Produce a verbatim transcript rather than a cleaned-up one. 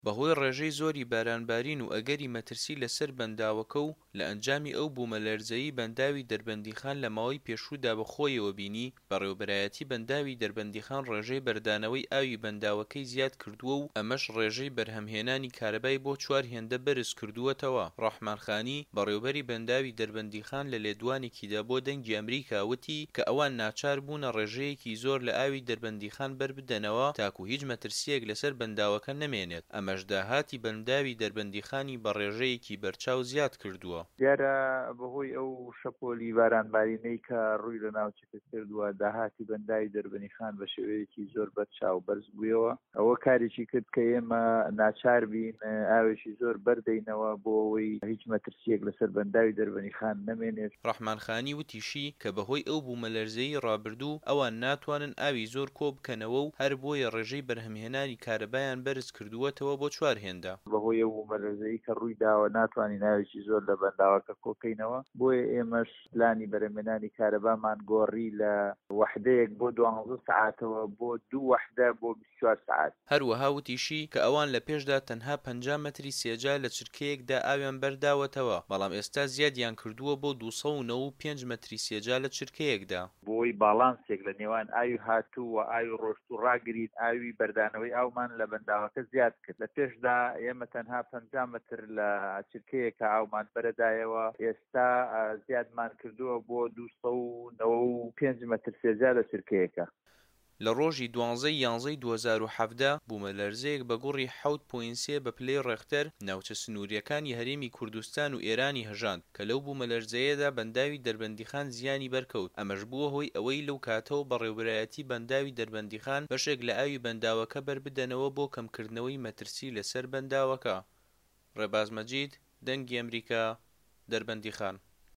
بەهۆی ڕێژەی زۆری بارانبارین و ئەگەری مەترسی لەسەر بەنداوەکە و لە ئەنجامی ئەو بوومەلەرزەیەی بەنداوی دەربەندیخان لە ماوەی پێشوودا بەخۆیەوە بینی، بەڕێوەبەرایەتی بەنداوی دەربەندیخان ڕێژەی بەردانەوەی ئاوی بەنداوەکەی زیادکردووە و ئەمەش ڕێژەی بەرهەمهێنانی کارەبای بۆ چوار هێندە بەرزکردووەتەوە. ڕەحمان خانی، بەڕێوەبەری بەنداوی دەربەندیخان لە لێدوانێکیدا بۆ دەنگی ئەمریکا وتی کە ئەوان ناچار بوونە ڕێژەیەکی زۆر لە ئاوی دەربەندیخان بەربدەنەوە تاکو هیچ مەترسییەک لەسەر بەنداوەکە نەمێنێت، ئەمەش داهاتی بەنداوی دەربەندیخانی بە ڕێژەیەکی بەرچاو زیاد کردووە. دیارە بەهۆی ئەو شەپۆلی بارانبارینەی کە ڕووی لە ناوچەکە کردووە، داهاتی بەنداوی دەربەندیخان بە شێوەیەکی زۆر بەرچاو بەرز بوویەوە. ئەوە کارێکی کرد کە ئێمە ناچار بین ئاوێکی زۆر بەردەینەوە بۆ ئەوەی هیچ مەترسیەک لەسەر بەنداوی دەربەندیخان نەمێنێت. ڕەحمان خانی وتیشی کە بەهۆی ئەو بوومەلەرزەیەی ڕابردوو ئەوان ناتوانن ئاوی زۆر کۆ بکەنەوە و هەر بۆیە ڕێژەی بەرهەمهێنانی کارەبایان بەرز کردووەتەوە بۆ چوار هێندە. بەهۆی ئەو بوومەلەرزەی کە ڕووی داوە ناتوانین ئاوێکی زۆر لە بەنداوەکە کۆکەینەوە، بۆیە ئێمەش پلانی بەرهەمهێنانی کارەبامان گۆڕی لە وەحدەیەک بۆ دوانزە سەعاتەوە بۆ دوو وەحدە بۆ بیست و چوار سەعات. هەروەها وتیشی کە ئەوان لە پێشدا تەنها پەنجا مەتری سێجا لە چرکەیەکدا ئاویان بەرداوەتەوە، بەڵام ئێستا زیادیان کردووە بۆ دوو سەد و نەوەد و پێنج مەتری سێجا لە چرکەیەکدا. بۆی باڵانسێک لە نێوان ئاوی هاتوو و ئاوی ڕۆشتوو ڕاگرین، ئاوی بەردانەوەی ئاومان لە بەنداوەکە زیاد کرد. لە پێشدا ئێمە تەنها پەنجا مەتر لە چرکەیەکە ئاومان بەرەدایەوە، ئێستا زیادمان کردووە بۆ دوو سەد و نەوەد و پێنج مەتر سێجا لە چرکەیەکە. لە ڕۆژی دوانزەی یانزەی دوو هەزار و حەڤدە بوومەلەرزەیەک بە گوڕی حەوت پۆینت سێ بە پلەی ڕێختەر ناوچە سنووریەکانی هەرێمی کوردستان و ئێرانی هەژاند کە لەو بوومەلەرزەیەدا بەنداوی دەربەندیخان زیانی بەرکەوت، ئەمەش بووە هۆی ئەوەی لەو کاتەوە بەڕێوەبەرایەتی بەنداوی دەربەندیخان بەشێک لە ئاوی بەنداوەکە بەربدەنەوە بۆ کەمکردنەوەی مەترسی لەسەر بەنداوەکە. ڕێباز مەجید، دەنگی ئەمریکا، دەربەندیخان.